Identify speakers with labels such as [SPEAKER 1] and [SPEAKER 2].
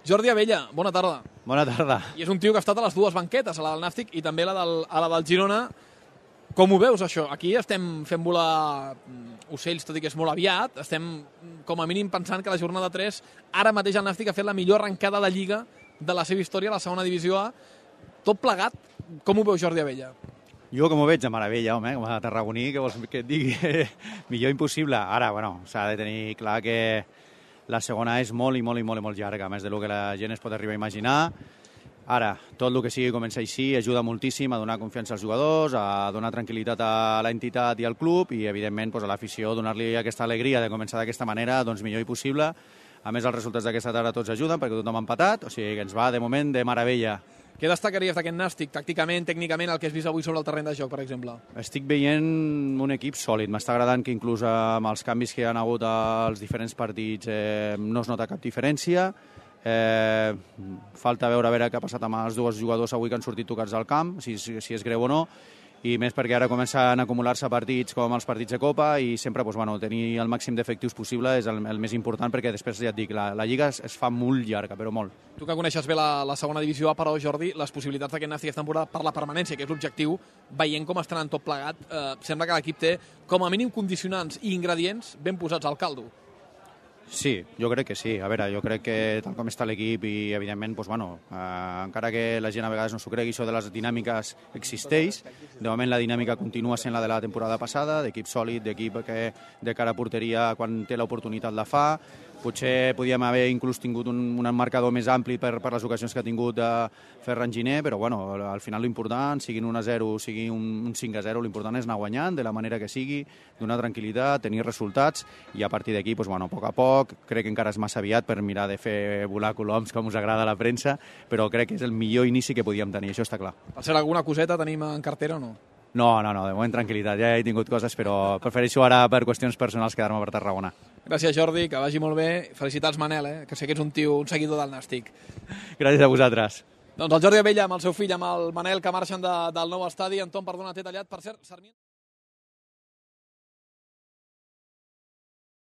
[SPEAKER 1] Jordi Abella, bona tarda.
[SPEAKER 2] Bona tarda.
[SPEAKER 1] I és un tio que ha estat a les dues banquetes, a la del Nàstic i també a la del Girona. Com ho veus, això? Aquí estem fent volar ocells, tot i que és molt aviat. Estem, com a mínim, pensant que la jornada 3, ara mateix el Nàstic ha fet la millor arrencada de Lliga de la seva història a la segona divisió A. Tot plegat, com ho veu Jordi Abella?
[SPEAKER 2] Jo com ho veig de meravella, home, com a tarragoní, que vols que et digui? Millor impossible. Ara, bueno, s'ha de tenir clar que la segona és molt llarga, més del que la gent es pot arribar a imaginar. Ara, tot el que sigui començar així ajuda moltíssim a donar confiança als jugadors, a donar tranquil·litat a l'entitat i al club i, evidentment, a l'afició, donar-li aquesta alegria de començar d'aquesta manera, doncs millor i possible. A més, els resultats d'aquesta tarda tots ajuden perquè tothom ha empatat, o sigui que ens va, de moment, de meravella.
[SPEAKER 1] Què destacaries d'aquest Nàstic, tàcticament, tècnicament, el que has vist avui sobre el terreny de joc, per exemple?
[SPEAKER 2] Estic veient un equip sòlid. M'està agradant que inclús amb els canvis que hi ha hagut als diferents partits no es nota cap diferència. Falta veure què ha passat amb els dos jugadors avui que han sortit tocats al camp, si és greu o no, i més perquè ara comencen a acumular-se partits com els partits de Copa i sempre tenir el màxim d'efectius possible és el més important perquè després, ja et dic, la Lliga es fa molt llarga, però molt.
[SPEAKER 1] Tu que coneixes bé la segona divisió A, però, Jordi, les possibilitats d'aquest Nàstic aquesta temporada per la permanència, que és l'objectiu, veient com estan tot plegat, sembla que l'equip té com a mínim condicionants i ingredients ben posats al caldo.
[SPEAKER 2] Sí, jo crec que sí. A veure, jo crec que tal com està l'equip i, evidentment, encara que la gent a vegades no s'ho cregui, això de les dinàmiques existeix. De moment la dinàmica continua sent la de la temporada passada, d'equip sòlid, d'equip que de cara a porteria quan té l'oportunitat la fa. Potser podíem haver inclús tingut un marcador més ampli per les ocasions que ha tingut Ferran Giner, però al final l'important, sigui un 1-0, sigui un 5-0, l'important és anar guanyant de la manera que sigui, donar tranquil·litat, tenir resultats i a partir d'aquí, a poc a poc, crec que encara és massa aviat per mirar de fer volar coloms com us agrada a la premsa, però crec que és el millor inici que podíem tenir, això està clar.
[SPEAKER 1] Per cert, alguna coseta tenim en cartera o no?
[SPEAKER 2] No, de moment tranquil·litat, ja he tingut coses, però prefereixo ara per qüestions personals quedar-me per Tarragona.
[SPEAKER 1] Gràcies, Jordi, que vagi molt bé. Felicitats, Manel, que sé que ets un seguidor del Nàstic.
[SPEAKER 2] Gràcies a vosaltres.
[SPEAKER 1] Doncs el Jordi Abella amb el seu fill, amb el Manel, que marxen del nou estadi. Anton, perdona, t'he tallat. Per cert, Sarmiento...